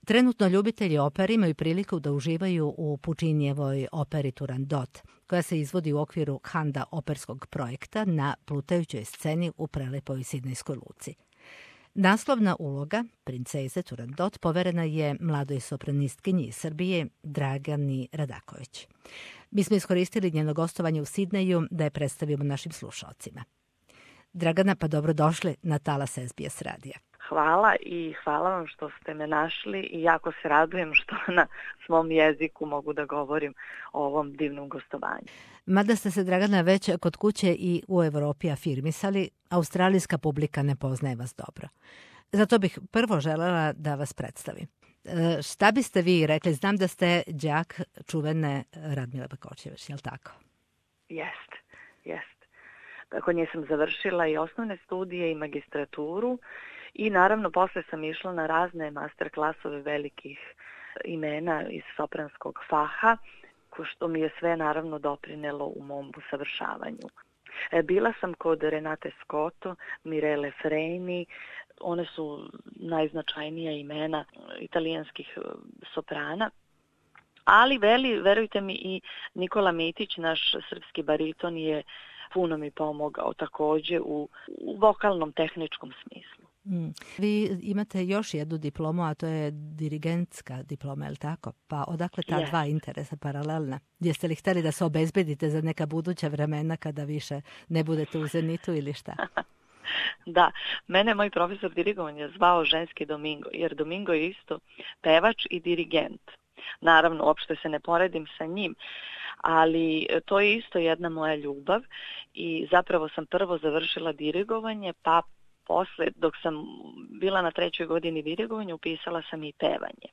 Trenutno ljubitelji opere imaju priliku da uživaju u Pučinijevoj operi Turandot, koja se izvodi u okviru Handa operskog projekta na plutajućoj sceni u prelepoj Sidnejskoj luci. Naslovna uloga princeze Turandot poverena je mladoj sopranistkinji iz Srbije Dragani Radaković. Mi smo iskoristili njeno gostovanje u Sidneju da je predstavimo našim slušalcima. Dragana, pa dobrodošli na talas SBS radija. Hvala i hvala vam što ste me našli i jako se radujem što na svom jeziku mogu da govorim o ovom divnom gostovanju. Mada ste se, Dragana, već kod kuće i u Evropi afirmisali, australijska publika ne poznaje vas dobro. Zato bih prvo želela da vas predstavim. Šta biste vi rekli? Znam da ste đak čuvene Radmile Bakočević, je li tako? Jest. Kod nje sam završila i osnovne studije i magistraturu i naravno posle sam išla na razne master klasove velikih imena iz sopranskog faha, što mi je sve naravno doprinelo u mom usavršavanju. Bila sam kod Renate Scotto, Mirele Freni, one su najznačajnija imena italijanskih soprana, ali verujte mi i Nikola Mitić, naš srpski bariton, je puno mi pomogao takođe u vokalnom tehničkom smislu. Vi imate još jednu diplomu, a to je dirigentska diploma, je li tako? Pa odakle ta dva interesa paralelna? Jeste li hteli da se obezbedite za neka buduća vremena kada više ne budete u zenitu ili šta? Da, mene moj profesor dirigovanja zvao ženski Domingo, jer Domingo je isto pevač i dirigent. Naravno, uopšte se ne poredim sa njim, ali to je isto jedna moja ljubav i zapravo sam prvo završila dirigovanje, pa posle, dok sam bila na 3. godini dirigovanja, upisala sam i pevanje.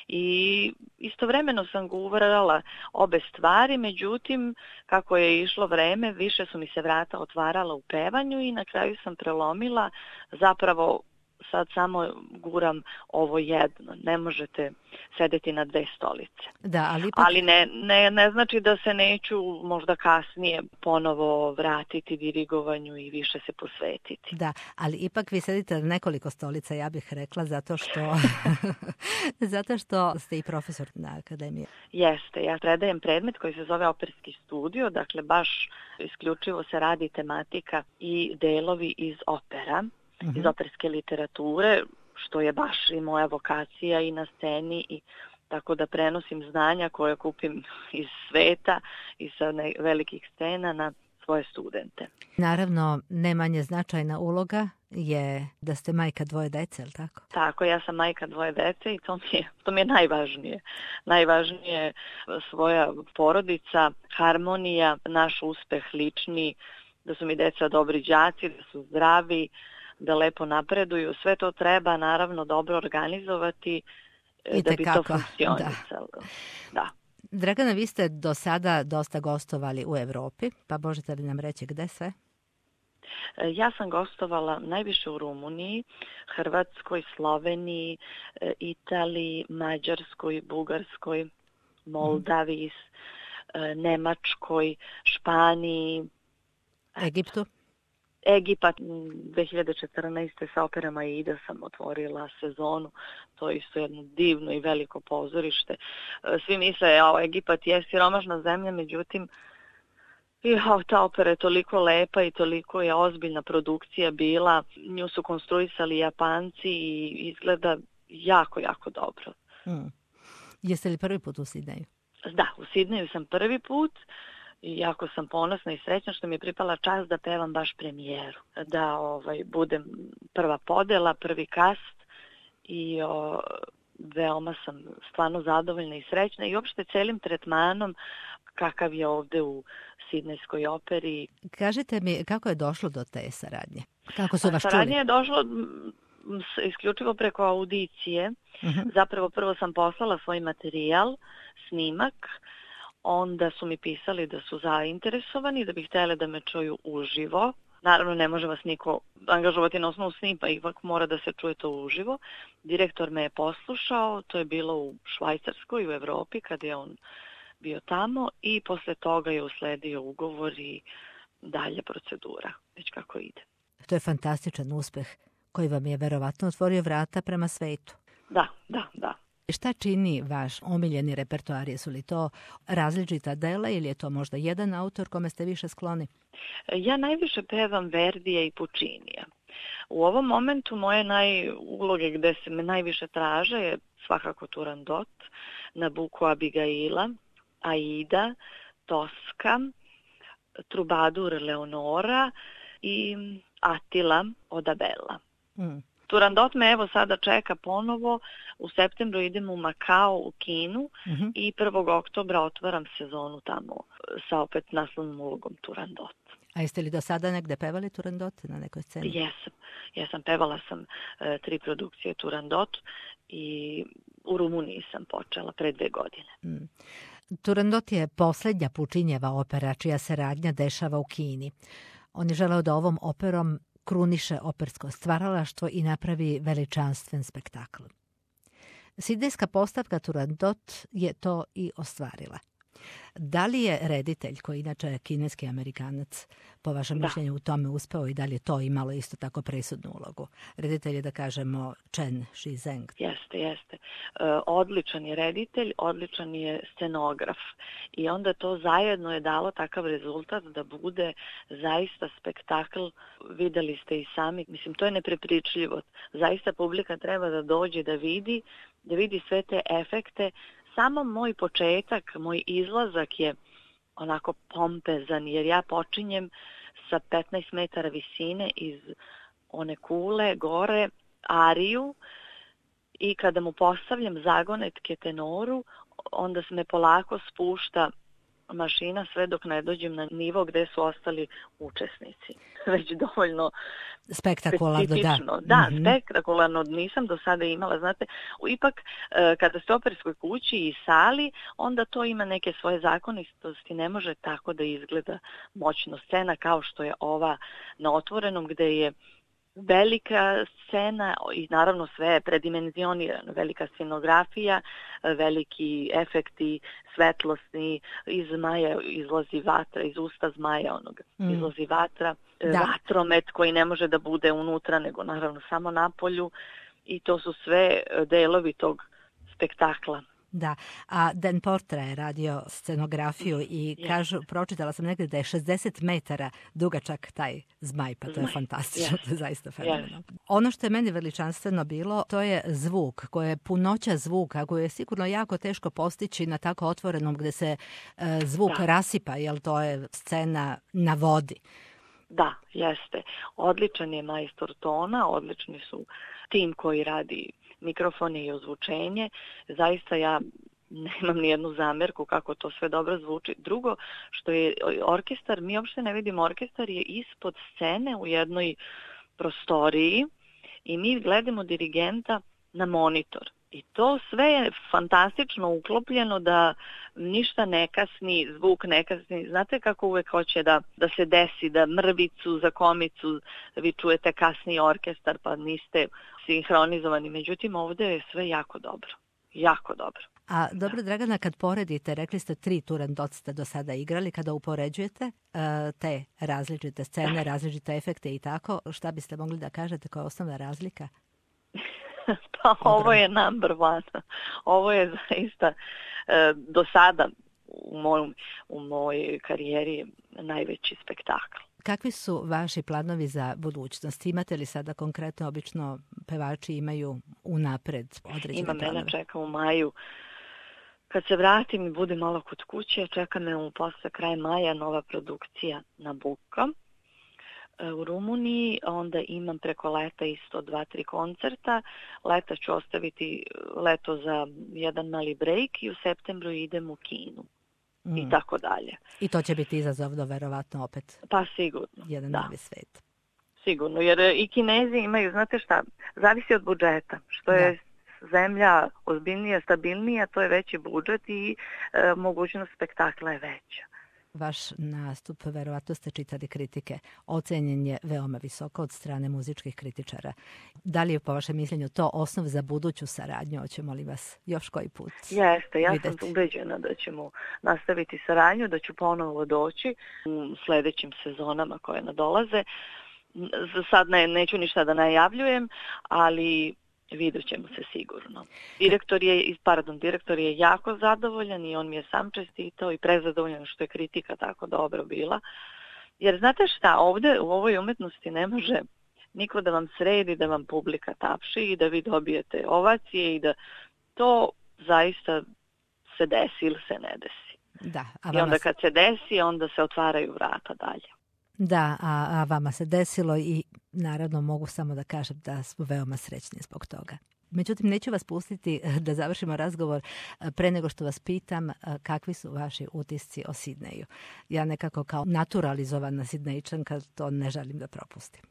I istovremeno sam govorila obe stvari, međutim, kako je išlo vreme, više su mi se vrata otvarala u pevanju i na kraju sam prelomila, zapravo sad samo guram ovo jedno. Ne možete sedeti na dve stolice. Da, ali ne znači da se neću možda kasnije ponovo vratiti dirigovanju i više se posvetiti. Da, ali ipak vi sedite na nekoliko stolica, ja bih rekla, zato što ste i profesor na akademiji. Jeste, ja predajem predmet koji se zove operski studio, dakle baš isključivo se radi tematika i delovi iz opera, iz operske literature, što je baš i moja vokacija i na sceni, i tako da prenosim znanja koje kupim iz sveta i sa velikih scena na svoje studente. Naravno, ne manje značajna uloga je da ste majka 2 dece, je li tako? Tako, ja sam majka 2 dece i to mi je najvažnije. Najvažnije je svoja porodica, harmonija, naš uspeh lični, da su mi deca dobri đaci, da su zdravi, da lepo napreduju. Sve to treba naravno dobro organizovati da bi to funkcionisalo. Da. Dragana, vi ste do sada dosta gostovali u Evropi, pa možete li nam reći gde sve? Ja sam gostovala najviše u Rumuniji, Hrvatskoj, Sloveniji, Italiji, Mađarskoj, Bugarskoj, Moldaviji, Nemačkoj, Španiji, Egiptu? Egipat 2014. sa operama Aida sam otvorila sezonu. To je isto jedno divno i veliko pozorište. Svi misle, Egipat je siromašna zemlja, međutim, ta opera je toliko lepa i toliko je ozbiljna produkcija bila. Nju su konstruisali Japanci i izgleda jako, jako dobro. Jeste li prvi put u Sidneju? Da, u Sidneju sam prvi put. I jako sam ponosna i srećna što mi je pripala čast da pevam baš premijeru. Da budem prva podela, prvi kast i veoma sam stvarno zadovoljna i srećna i uopšte celim tretmanom kakav je ovde u Sidnejskoj operi. Kažite mi, kako je došlo do te saradnje? Kako su vas čuli? Saradnje je došlo isključivo preko audicije. Zapravo prvo sam poslala svoj materijal, snimak, onda su mi pisali da su zainteresovani, da bi htjeli da me čuju uživo. Naravno, ne može vas niko angažovati na osnovu snima, ipak mora da se čuje to uživo. Direktor me je poslušao, to je bilo u Švajcarskoj, u Evropi, kad je on bio tamo, i posle toga je usledio ugovor i dalje procedura, već kako ide. To je fantastičan uspeh koji vam je verovatno otvorio vrata prema svetu. Da. Šta čini vaš omiljeni repertoar? Jesu li to različita dela ili je to možda jedan autor kome ste više skloni? Ja najviše pevam Verdija i Puccinija. U ovom momentu moje uloge gde se me najviše traže je svakako Turandot, Nabucco Abigaila, Aida, Tosca, Trubadur Leonora i Attila od Abela. Turandot me evo sada čeka ponovo, u septembru idem u Makao u Kinu i 1. oktobra otvaram sezonu tamo sa opet naslovnom ulogom Turandot. A jeste li do sada negde pevali Turandot na nekoj sceni? Jesam, pevala sam 3 produkcije Turandot i u Rumuniji sam počela pre 2 godine. Turandot je poslednja Puccinijeva opera čija se radnja dešava u Kini. On je želeo da ovom operom kruniše opersko stvaralaštvo i napravi veličanstven spektakl. Sidnejska postavka Turandot je to i ostvarila. Da li je reditelj, koji inače je kineski Amerikanac, po vašem mišljenju u tome uspeo i da li je to imalo isto tako presudnu ulogu? Reditelj je, da kažemo, Chen Shizheng. Jeste. Odličan je reditelj, odličan je scenograf i onda to zajedno je dalo takav rezultat da bude zaista spektakl. Videli ste i sami, mislim, to je neprepričljivo. Zaista publika treba da dođe da vidi sve te efekte. Samo moj početak, moj izlazak je onako pompezan, jer ja počinjem sa 15 metara visine iz one kule gore, ariju, i kada mu postavljam zagonetke tenoru, onda se me polako spušta mašina sve dok ne dođem na nivo gde su ostali učesnici. Već dovoljno spektakularno, specifično. Da, spektakularno nisam do sada imala. Znate, ipak kada ste u operskoj kući i sali, onda to ima neke svoje zakonitosti. Ne može tako da izgleda moćno scena kao što je ova na Otvorenom, gde je velika scena i naravno sve je predimenzionirano, velika scenografija, veliki efekti svetlosni, iz zmaja izlazi vatra, iz usta zmaja onoga izlazi vatra, vatromet koji ne može da bude unutra nego naravno samo napolju, i to su sve delovi tog spektakla. Da, a Dan Portra je radio scenografiju i kažu, pročitala sam negdje da je 60 metara dugačak taj zmaj, pa to je fantastično, to je zaista fenomenalno. Ono što je meni veličanstveno bilo, to je zvuk, koje je punoća zvuka, koju je sigurno jako teško postići na tako otvorenom gde se zvuk rasipa, jer to je scena na vodi. Da, jeste. Odličan je majstor tona, odlični su tim koji radi mikrofone i ozvučenje. Zaista ja nemam nijednu zamerku kako to sve dobro zvuči. Drugo, što je orkestar, mi uopšte ne vidimo, orkestar je ispod scene u jednoj prostoriji i mi gledamo dirigenta na monitor. I to sve je fantastično uklopljeno da ništa ne kasni, zvuk ne kasni. Znate kako uvek hoće da se desi, da mrvicu za komicu vi čujete kasniji orkestar pa niste sinhronizovani. Međutim, ovde je sve jako dobro. Jako dobro. A dobro, Dragana, kad poredite, rekli ste 3 Turandot ste do sada igrali, kada upoređujete te različite scene, različite efekte i tako, šta biste mogli da kažete koja je osnovna razlika? Pa ovo je number one. Ovo je zaista do sada u mojoj karijeri najveći spektakl. Kakvi su vaši planovi za budućnost? Imate li sada konkretno, obično pevači imaju unapred određene planove? Mene čeka u maju. Kad se vratim i budem malo kod kuće, čeka me posle kraja maja nova produkcija Nabucco u Rumuniji, onda imam preko leta isto 2-3 koncerta. Leta ću ostaviti leto za jedan mali break i u septembru idem u Kinu. I tako dalje. I to će biti izazovno, verovatno, opet. Pa sigurno. Jedan novi svet. Sigurno, jer i Kinezi imaju, znate šta, zavisi od budžeta. Što je zemlja ozbiljnija, stabilnija, to je veći budžet i mogućnost spektakla je veća. Vaš nastup, verovatno ste čitali kritike, ocenjen je veoma visoko od strane muzičkih kritičara. Da li je po vašem mišljenju to osnov za buduću saradnju? Hoćemo li vas još koji put Jeste, ja videti? Sam ubeđena da ćemo nastaviti saradnju, da ću ponovo doći u sledećim sezonama koje nadolaze. Za sad neću ništa da najavljujem, ali vidjet ćemo se sigurno. Direktor je jako zadovoljan i on mi je sam čestitao i prezadovoljan što je kritika tako dobro bila. Jer znate šta, ovdje u ovoj umetnosti ne može niko da vam sredi, da vam publika tapši i da vi dobijete ovacije i da to zaista se desi ili se ne desi. Da, I onda kad se desi, onda se otvaraju vrata dalje. Da, a vama se desilo i naravno mogu samo da kažem da smo veoma srećni zbog toga. Međutim, neću vas pustiti da završimo razgovor pre nego što vas pitam kakvi su vaši utisci o Sidneju. Ja nekako kao naturalizovana Sidnejčanka to ne želim da propustim.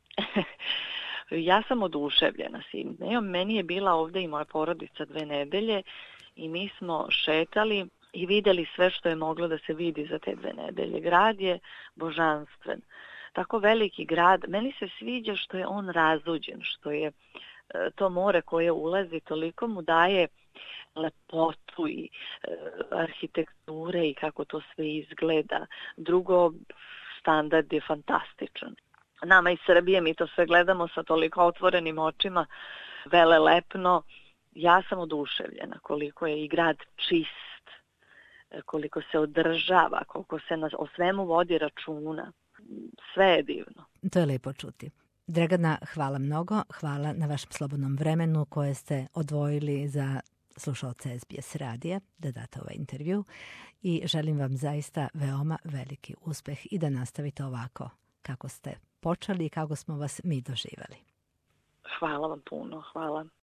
Ja sam oduševljena Sidnejom. Meni je bila ovdje i moja porodica 2 nedelje i mi smo šetali i vidjeli sve što je moglo da se vidi za te 2 nedelje. Grad je božanstven. Tako veliki grad. Meni se sviđa što je on razuđen, što je to more koje ulazi, toliko mu daje lepotu i arhitekture i kako to sve izgleda. Drugo, standard je fantastičan. Nama iz Srbije mi to sve gledamo sa toliko otvorenim očima, velelepno. Ja sam oduševljena koliko je i grad čist, koliko se održava, koliko se o svemu vodi računa. Sve je divno. To je lepo čuti. Dragana, hvala mnogo. Hvala na vašem slobodnom vremenu koje ste odvojili za slušalce SBS radija da date ovaj intervju i želim vam zaista veoma veliki uspeh i da nastavite ovako kako ste počeli i kako smo vas mi doživjeli. Hvala vam puno. Hvala.